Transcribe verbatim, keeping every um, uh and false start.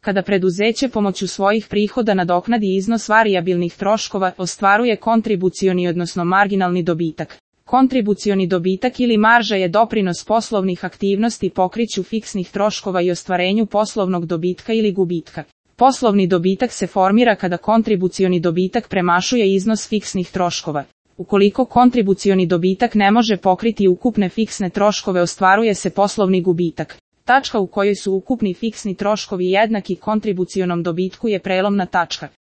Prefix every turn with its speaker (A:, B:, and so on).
A: Kada preduzeće pomoću svojih prihoda nadoknadi iznos varijabilnih troškova, ostvaruje kontribucioni odnosno marginalni dobitak. Kontribucioni dobitak ili marža je doprinos poslovnih aktivnosti pokriću fiksnih troškova i ostvarenju poslovnog dobitka ili gubitka. Poslovni dobitak se formira kada kontribucioni dobitak premašuje iznos fiksnih troškova. Ukoliko kontribucioni dobitak ne može pokriti ukupne fiksne troškove, ostvaruje se poslovni gubitak. Tačka u kojoj su ukupni fiksni troškovi jednaki kontribucionom dobitku je prelomna tačka.